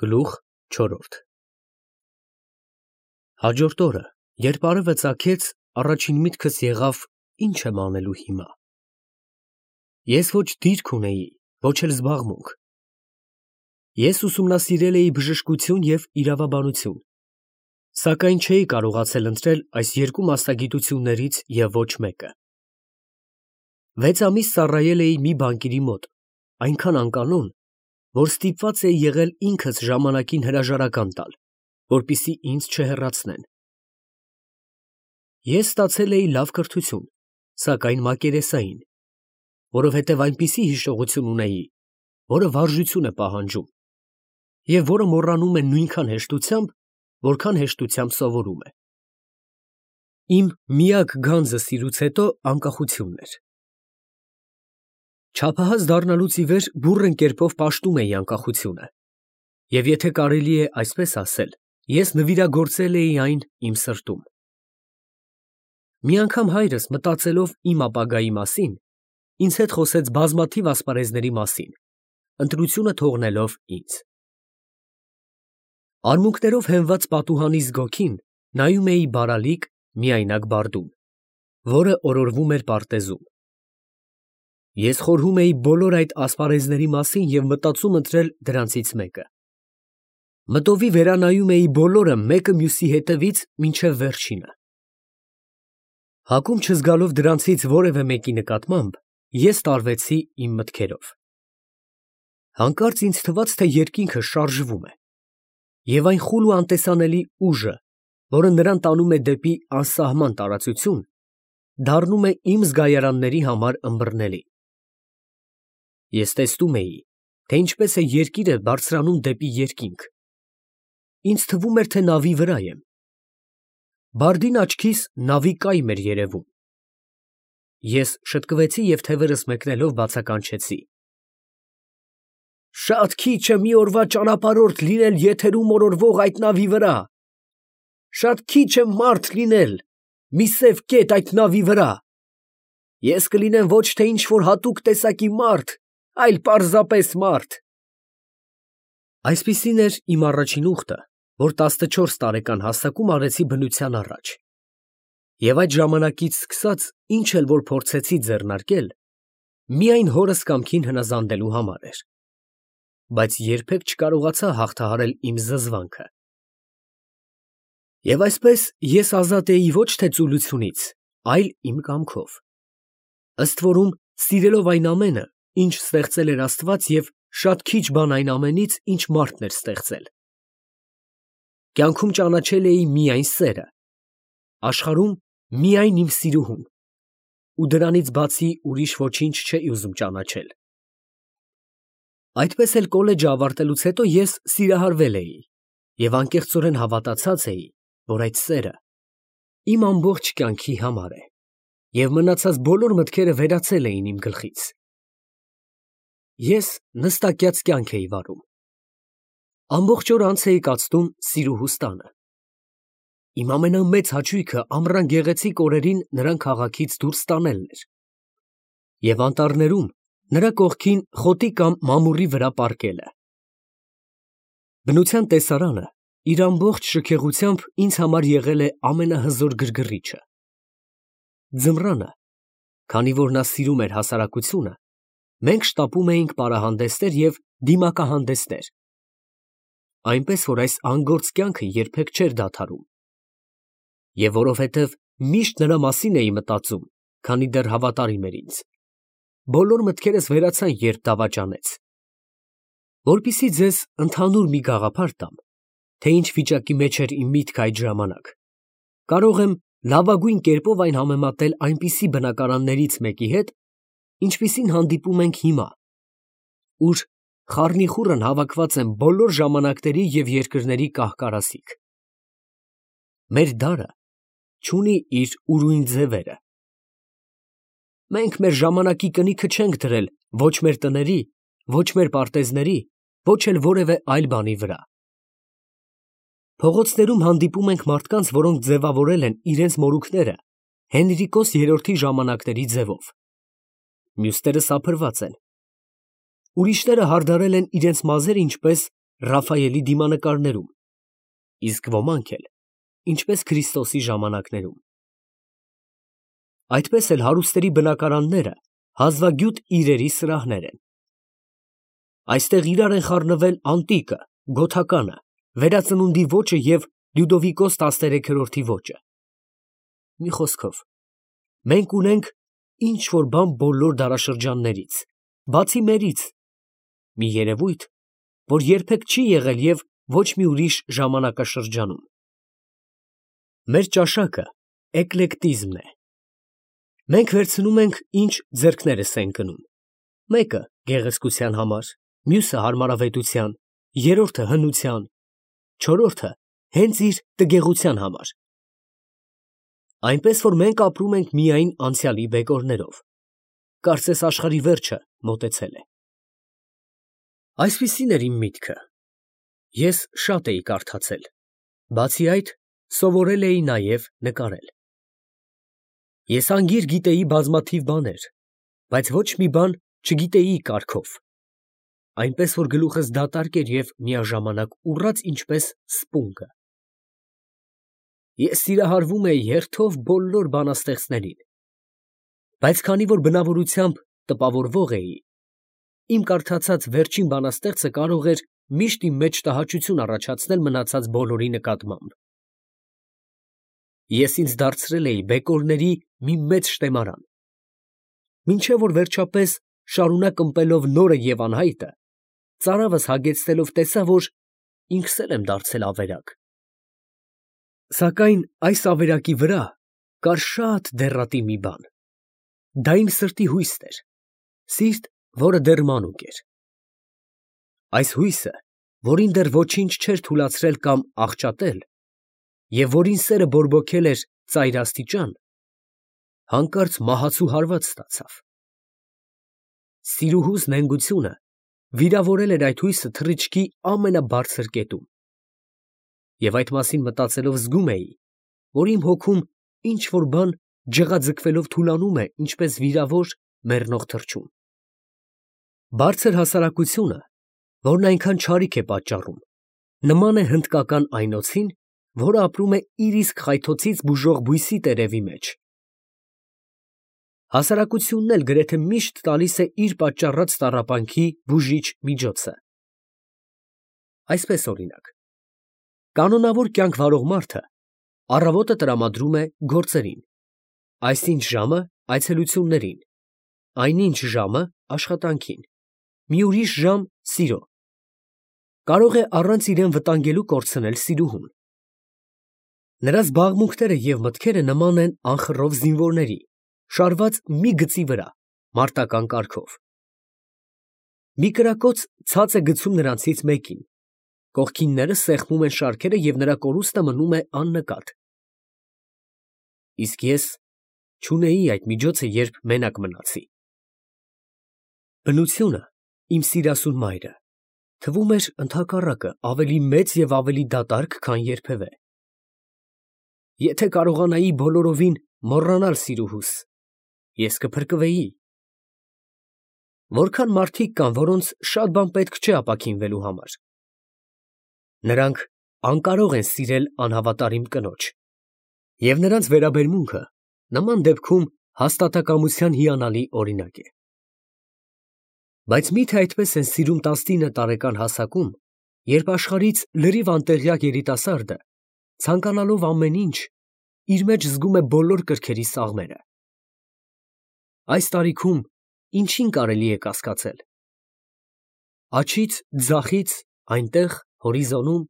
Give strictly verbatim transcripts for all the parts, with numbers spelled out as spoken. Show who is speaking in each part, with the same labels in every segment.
Speaker 1: Գլուխ չորրորդ Հաջորդ օրը, երբ արևը ծագեց, առաջին միտքս եղավ. ի՞նչ եմ անելու հիմա։ Ես ոչ դիրք ունեի, ոչ էլ զբաղմունք։ Ես ուսումնասիրել էի բժշկություն և իրավաբանություն, սակայն չէի կարողացել ընտրել այս երկու մասնագիտություններից և ոչ մեկը։ Վեց ամիս ծառայել էի մի բանկիրի մոտ, այնքան անկանոն, որ ստիպված էի եղել ինքս ժամանակին հրաժարական տալ, որպեսզի ինձ չհեռացնեն։ Ես ստացել էի լավ կրթություն, սակայն մակերեսային, որովհետև այնպիսի հիշողություն ունեի, որը վարժություն է պահանջում, և որը մոռանում է նույնքան հեշտությամբ, որքան հեշտությամբ սովորում է։ Իմ միակ գանձը սիրուց հետո անկախությունն էր։ Չափահաս դառնալուց ի վեր բուռն կերպով պաշտում էի անկախությունը, և եթե կարելի է այսպես ասել, ես նվիրագործել էի այն իմ սրտում։ Մի անգամ հայրս, մտածելով իմ ապագայի մասին, ինձ հետ խոսեց բազմաթիվ ասպարեզների մասին, ընտրությունը թողնելով ինձ։ Արմունկներով հենված պատուհանի զգոքին նայում էի բարալիկ, միայնակ բարդուն, որը օրորվում էր պարտեզում։ Ես խորհում էի բոլոր այդ ասպարեզների մասին և մտածում ընտրել դրանցից մեկը։ Մտովի վերանայում էի բոլորը մեկը մյուսի հետևից մինչև վերջինը։ Հակում չզգալով դրանցից որևէ մեկի նկատմամբ, ես տարվեցի իմ մտքերով։ Հանկարծ ինձ թվաց, թե երկինքը շարժվում է, և այն խուլ ու անտեսանելի ուժը, որը նրան տանում է դեպի անսահման տարածություն, դառնում է իմ զգայարանների համար ըմբռնելի։ Ես տեսնում էի, թե ինչպես է երկիրը բարձրանում դեպի երկինք։ Ինձ թվում էր, թե նավի վրա եմ։ Բարդին աչքիս նավի կայմ էր երևում։ Ես շտկվեցի և թևերս մեկնելով բացականչեցի. «Շատ քիչ է մի օրվա ճանապարհորդ լինել եթերում օրորվող այդ նավի վրա, շատ քիչ է մարդ լինել, մի սև կետ այդ նավի վրա, ես կլինեմ ոչ թե ինչ֊որ հատուկ տեսակի մարդ, այլ պարզապես մարդ»։ Այսպիսին էր իմ առաջին ուխտը, որ տասնչորս տարեկան հասակում արեցի բնության առաջ, և այդ ժամանակից սկսած ինչ էլ որ փորձեցի ձեռնարկել, միայն հորս կամքին հնազանդելու համար էր, բայց երբեք չկարողացա հաղթահարել իմ զզվանքը։ Եվ այսպես ես ազատ էի ոչ թե ծուլությունից, այլ իմ կամքով, ըստ որում սիրելով այն ամենը, ինչ ստեղծել էր Աստված և շատ քիչ բան այն ամենից, ինչ մարդն էր ստեղծել։ Կյանքում ճանաչել էի միայն սերը, աշխարհում միայն իմ սիրուհուն, ու դրանից բացի ուրիշ ոչինչ չէի ուզում ճանաչել։ Այդպես էլ կոլեջը ավարտելուց հետո ես սիրահարվել էի և անկեղծորեն հավատացած էի, որ այդ սերը իմ ամբողջ կյանքի համար է, և մնացած բոլոր մտքերը վերացել էին իմ գլխից։ Ես նստակյաց կյանք էի վարում։ Ամբողջ օր անց էի կացնում սիրուհուս տանը։ Իմ ամենամեծ հաճույքը ամռան գեղեցիկ օրերին նրան քաղաքից դուրս տանելն էր և անտառներում նրա կողքին խոտի կամ մամուռի վրա պառկելը։ Բնության տեսարանը իր ամբողջ շքեղությամբ ինձ համար եղել է ամենահզոր գրգռիչը։ Ձմռանը, քանի որ նա սիրում էր հասարակությունը, մենք շտապում էինք պարահանդեսներ և դիմակահանդեսներ, այնպես որ այս անգործ կյանքը երբեք չէր դադարում։ Եվ որովհետև միշտ նրա մասին էի մտածում, քանի դեռ հավատարիմ էր ինձ, բոլոր մտքերս վերացան, երբ դավաճանեց։ Որպեսզի ձեզ ընդհանուր մի գաղափար տամ, թե ինչ վիճակի մեջ էր իմ միտքը այդ ժամանակ, կարող եմ լավագույն կերպով այն համեմատել այնպիսի բնակարաններից մեկի հետ, ինչպիսին հանդիպում ենք հիմա, ուր խառնիխուռն հավաքված են բոլոր ժամանակների և երկրների կահ֊կարասիք։ Մեր դարը չունի իր ուրույն ձևերը։ Մենք մեր ժամանակի կնիքը չենք դրել ոչ մեր տների, ոչ մեր պարտեզների, ոչ էլ որևէ այլ բանի վրա։ Փողոցներում հանդիպում ենք մարդկանց, որոնք ձևավորել են իրենց մորուքները Հենրիկոս երրորդի ժամանակների ձևով, մյուսները սափրված են, ուրիշները հարդարել են իրենց մազերը ինչպես Ռաֆայելի դիմանկարներում, իսկ ոմանք էլ, ինչպես Քրիստոսի ժամանակներում։ Այդպես էլ հարուստների բնակարանները հազվագյուտ իրերի սրահներ են։ Այստեղ իրար են խառնվել անտիկը, գոթականը, վերածնունդի ոճը և Լյուդովիկոս տասներեքերորդի ոճը։ Մի խոսքով, մենք ունենք ինչ-որ բան բոլոր դարաշրջաններից, բացի մերից, մի երևույթ, որ երբեք չի եղել և ոչ մի ուրիշ ժամանակաշրջանում։ Մեր ճաշակը էկլեկտիզմն է։ Մենք վերցնում ենք, ինչ ձեռքներս են կնում, մեկը գեղեցկության համար, մյուսը հարմարավետության, երրորդը հնության, չորրորդը հենց իր տգեղության համար։ Այնպես որ մենք ապրում ենք միայն անցյալի բեկորներով, կարծես աշխարհի վերջը մոտեցել է։ Այսպիսին էր իմ միտքը։ Ես շատ էի կարդացել, բացի այդ, սովորել էի նաև նկարել։ Ես անգիր գիտեի բազմաթիվ բաներ, բայց ոչ մի բան չգիտեի կարգով, այնպես որ գլուխս դատարկ էր և միաժամանակ ուռած ինչպես սպունգը։ Ես սիրահարվում էի հերթով բոլոր բանաստեղծներին, բայց քանի որ բնավորությամբ տպավորվող էի, իմ կարդացած վերջին բանաստեղծը կարող էր միշտ իմ մեջ տհաճություն առաջացնել մնացած բոլորի նկատմամբ։ Ես ինձ դարձրել էի բեկորների մի մեծ շտեմարան, մինչև որ վերջապես շարունակ ըմպելով նորը և անհայտը, ծարավս հագեցնելով տեսա, որ ինքս էլ եմ դարձել ավերակ։ Սակայն այս ավերակի վրա կար շատ դեռատի մի բան, դա իմ սրտի հույսն էր, սիրտ, որը դեռ մանուկ էր։ Այս հույսը, որին դեռ ոչինչ չէր թուլացրել կամ աղճատել, և որին սերը բորբոքել էր ծայրաստիճան, հանկարծ մահացու հարված ստացավ։ Սիրուհուս նենգությունը վիրավորել էր այդ հույսը թռիչքի ամենաբարձր կետում, և այդ մասին մտածելով զգում էի, որ իմ հոգում ինչ֊որ բան ջղաձգվելով թուլանում է, ինչպես վիրավոր, մեռնող թռչուն։ Բարձր հասարակությունը, որն այնքան չարիք է պատճառում, նման է հնդկական այնոցին, որը ապրում է իր իսկ խայթոցից բուժող բույսի տերևի մեջ։ Հասարակությունն էլ գրեթե միշտ տալիս է իր պատճառած տառապանքի բուժիչ միջոցը։ Այսպես օրինակ, կանոնավոր կյանք վարող մարդը առավոտը տրամադրում է գործերին, այսինչ ժամը այցելություններին, այնինչ ժամը աշխատանքին, մի ուրիշ ժամ սիրո, կարող է առանց իրան վտանգելու կորցնել սիրուհուն։ Նրա զբաղմունքները և մտքերը նման են անխռով զինվորների, շարված մի գծի վրա, մարտական կարգով։ Մի կրակոց ցած է գցում նրանցից մեկին, կողքինները սեղմում են շարքերը և նրա կորուստը մնում է աննկատ։ Իսկ ես չունեի այդ միջոցը, երբ մենակ մնացի։ Բնությունը, իմ սիրասուն մայրը, թվում էր ընդհակառակը ավելի մեծ և ավելի դատարկ, քան երբևէ։ Եթե կարողանայի բոլորովին մոռանալ սիրուհուս, ես կփրկվեի։ Որքան մարդիկ կան, որոնց շատ բան պետք չէ ապաքինվելու համար։ Նրանք անկարող են սիրել անհավատարիմ կնոջ, և նրանց վերաբերմունքը նման դեպքում հաստատակամության հիանալի օրինակ է։ Բայց մի՞թե այդպես են սիրում տասնինը տարեկան հասակում, երբ աշխարհից լրիվ անտեղյակ երիտասարդը, ցանկանալով ամեն ինչ, իր մեջ զգում է բոլոր կրքերի սաղմերը։ Այս տարիքում ինչին կարելի է կասկածել։ Աջից, ձախից, այնտեղ, հորիզոնում,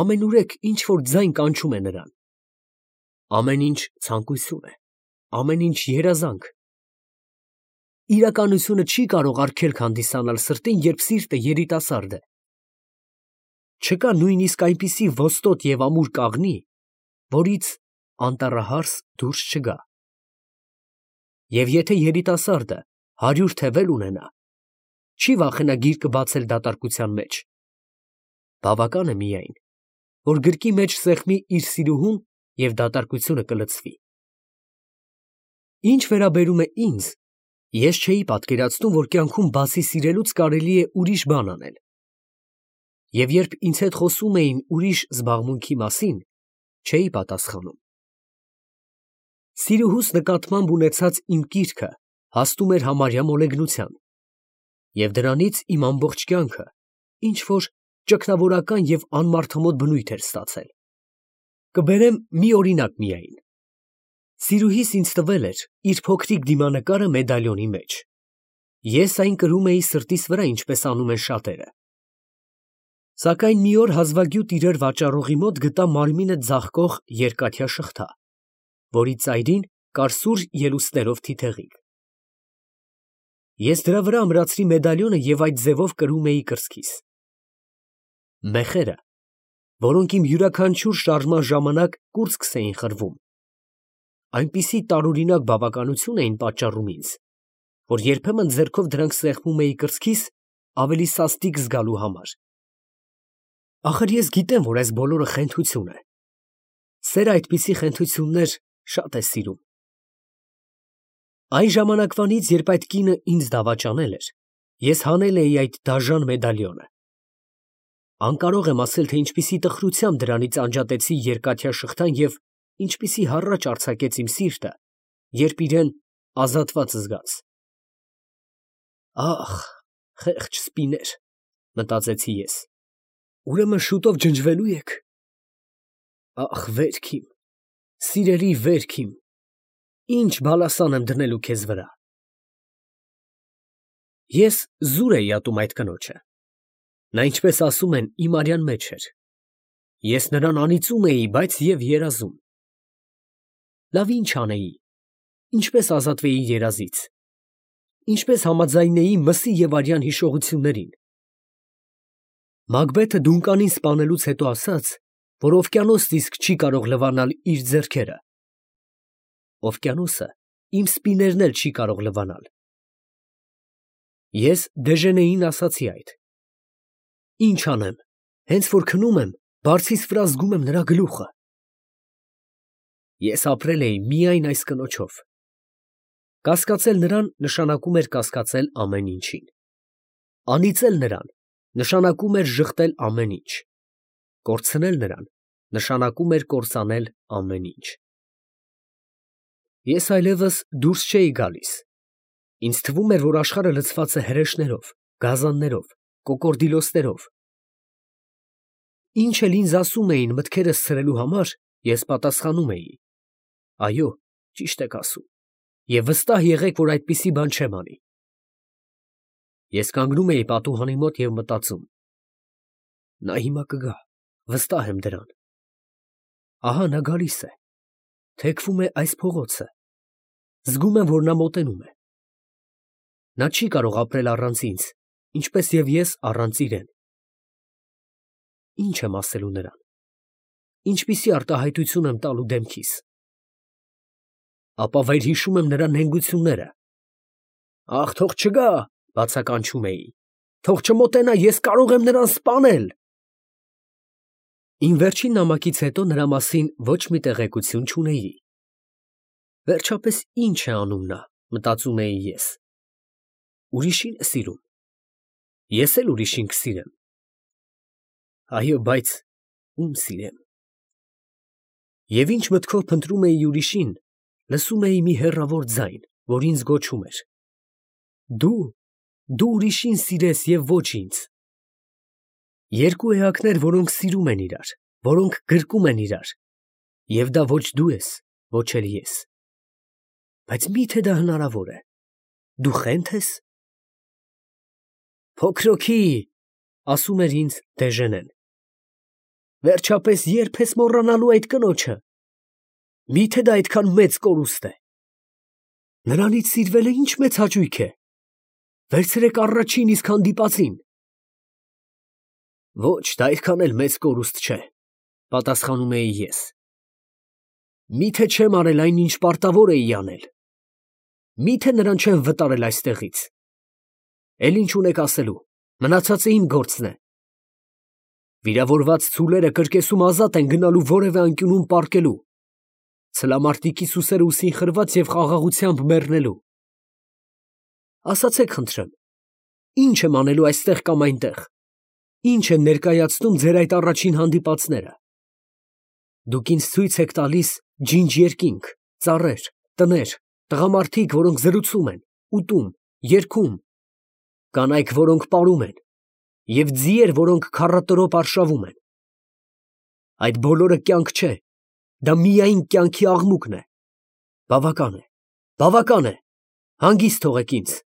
Speaker 1: ամենուրեք ինչ֊որ ձայն կանչում է նրան։ Ամեն ինչ ցանկություն է, ամեն ինչ երազանք։ Իրականությունը չի կարող արգելք հանդիսանալ սրտին, երբ սիրտը երիտասարդ է։ Չկա նույնիսկ այնպիսի ոստոտ և ամուր կաղնի, որից անտառահարս դուրս չգա։ Եվ եթե երիտասարդը հարյուր թևել ունենա, չի վախենա գիրկը բացել դատարկության մեջ։ Բավական է միայն, որ գրկի մեջ սեղմի իր սիրուհուն և դատարկությունը կլցվի։ Ինչ վերաբերում է ինձ, ես չէի պատկերացնում, որ կյանքում բացի սիրելուց կարելի է ուրիշ բան անել։ և երբ ինձ հետ խոսում էին ուրիշ զբաղմունքի մասին, չէի պատասխանում։ Սիրուհուս նկատմամբ ունեցած իմ կիրքը հասնում էր համարյա մոլեգնության, և դրանից իմ ամբողջ կյանքը ինչ-որ ճգնավորական և անմարդամոտ բնույթ էր ստացել։ Կբերեմ մի օրինակ միայն. սիրուհիս ինձ տվել էր իր փոքրիկ դիմանկարը մեդալյոնի մեջ։ Ես այն կրում էի սրտիս վրա, ինչպես անում են շատերը։ Սակայն մի օր հազվագյուտ իրեր վաճառողի մոտ գտա մարմինը ձաղկող երկաթյա շղթա, որի ծայրին կար սուր ելուստներով թիթեղիկ։ Ես դրա վրա ամրացրի մեդալյոնը և այդ ձևով կրում էի կրծքիս։ Մեխերը, որոնք իմ յուրաքանչյուր շարժման ժամանակ կուրծքս էին խրվում, այնպիսի տարօրինակ բավականություն էին պատճառում ինձ, որ երբեմն ձեռքով դրանք սեղմում էի կրծքիս ավելի սաստիկ զգալու համար։ Ախր ես գիտեմ, որ այս բոլորը խենթություն է։ Սերը այդպիսի խենթություններ շատ է սիրում։ Այն ժամանակվանից, երբ այդ կինը ինձ դավաճանել էր, ես հանել էի այդ դաժան մեդալյոնը։ Անկարող եմ ասել, թե ինչպիսի տխրությամբ դրանից անջատեցի երկաթյա շղթան և ինչպիսի հառաչ արձակեց իմ սիրտը, երբ իրեն ազատված զգաց։ Ախ, խեղճ սպիներ, մտածեցի ես, ուրեմն շուտով ջնջվելու եք։ Ախ, վերք իմ, սիրելի վերք իմ, ինչ բալասան եմ դնելու քեզ վրա։ Ես զուր էի ատում այդ կնոջը։ Նա, ինչպես ասում են, իմ արյան մեջ էր։ Ես նրան անիծում էի, բայց և երազում։ Լավ, ի՞նչ անեի, ինչպես ազատվեի երազից, ինչպես համաձայնեի մսի և արյան հիշողություններին։ Մակբեթը դունկանին սպանելուց հետո ասաց, որ օվկիանոսն իսկ չի կարող լվանալ իր ձեռքերը։ Օվկիանոսը իմ սպիներն էլ չի կարող լվանալ։ Ես Դեժենեին ասացի այդ։ Ինչ անեմ, հենց որ քնում եմ, բարձիս վրա զգում եմ նրա գլուխը։ Ես ապրել էի միայն այս կնոջով։ Կասկածել նրան նշանակում էր կասկածել ամեն ինչին։ Անիծել նրան նշանակում էր ժխտել ամեն ինչ։ Կորցնել նրան նշանակում էր կործանել ամեն ինչ։ Ես այլևս դուրս չէի գալիս։ Ինձ թվում էր, որ աշխարհը լցված է հրեշներով, գազաններով, կոկորդիլոսներով։ Ինչ էլ ինձ ասում էին մտքերս ցրելու համար, ես պատասխանում էի. այո, ճիշտ եք ասում, և վստահ եղեք, որ այդպիսի բան չեմ անի։ Ես կանգնում էի պատուհանի մոտ և մտածում. նա հիմա կգա, վստահ եմ դրան։ Ահա նա գալիս է, թեքվում է այս փողոցը, զգում եմ, որ նա մոտենում է։ Նա չի կարող ապրել առանց ինձ, ինչպես և ես առանց իրեն։ Ինչ եմ ասելու նրան, ինչպիսի արտահայտություն եմ տալու դեմքիս։ Ապա վերհիշում եմ նրա նենգությունները։ Ախ, թող չգա, բացականչում էի, թող չմոտենա, ես կարող եմ նրան սպանել։ Իմ վերջին նամակից հետո նրա մասին ոչ մի տեղեկություն չունեի։ Վերջապես ինչ է անում նա, մտածում էի ես։ Ուրիշին է սիրում։ Ես էլ ուրիշին կսիրեմ։ Այո, բայց ում սիրեմ։ Եվ ինչ մտքով փնտրում էի ուրիշին, լսում էի մի հեռավոր ձայն, որ ինձ գոչում էր. դու, դու ուրիշին սիրես և ոչ ինձ։ Երկու էակներ, որոնք սիրում են իրար, որոնք գրկում են իրար, և դա ոչ դու ես, ոչ էլ ես։ Բայց մի՞թե դա հնարավոր է։ Դու խե՞նթ ես։ Փոքրոքի, ասում էր ինձ Դեժենեն, վերջապես ե՞րբ ես մոռանալու այդ կնոջը։ Մի՞թե դա այդքան մեծ կորուստ է։ Նրանից սիրվելը ի՞նչ մեծ հաճույք է։ Վերցրեք առաջին իսկ հանդիպածին։ Ոչ, դա այդքան էլ մեծ կորուստ չէ, պատասխանում էի ես։ Մի՞թե չեմ արել այն, ինչ պարտավոր էի անել։ Մի՞թե նրան չեմ վտարել այստեղից։ Էլ ինչ ունեք ասելու, մնացածը իմ գործն է։ Վիրավորված ցուլերը կրկեսում ազատ են գնալու որևէ անկյունում պառկելու, ցլամարտիկի սուսերը ուսին խրված և խաղաղությամբ մեռնելու։ Ասացեք խնդրեմ, ի՞նչ եմ անելու այստեղ կամ այնտեղ, ինչ են ներկայացնում ձեր այդ առաջին հանդիպածները։ Դուք ինձ ցույց եք տալիս ջինջ երկինք, ծառեր, տներ, տղամարդիկ, որոնք զրուցում են, ուտում, երգում, կանայք, որոնք պարում են, և ձիեր, որոնք քառատրոպ արշավում են։ Այդ բոլորը կյանք չէ, դա միայն կյանքի աղմուկն է։ Բավական է, բավական է, հանգիստ թողեք ինձ։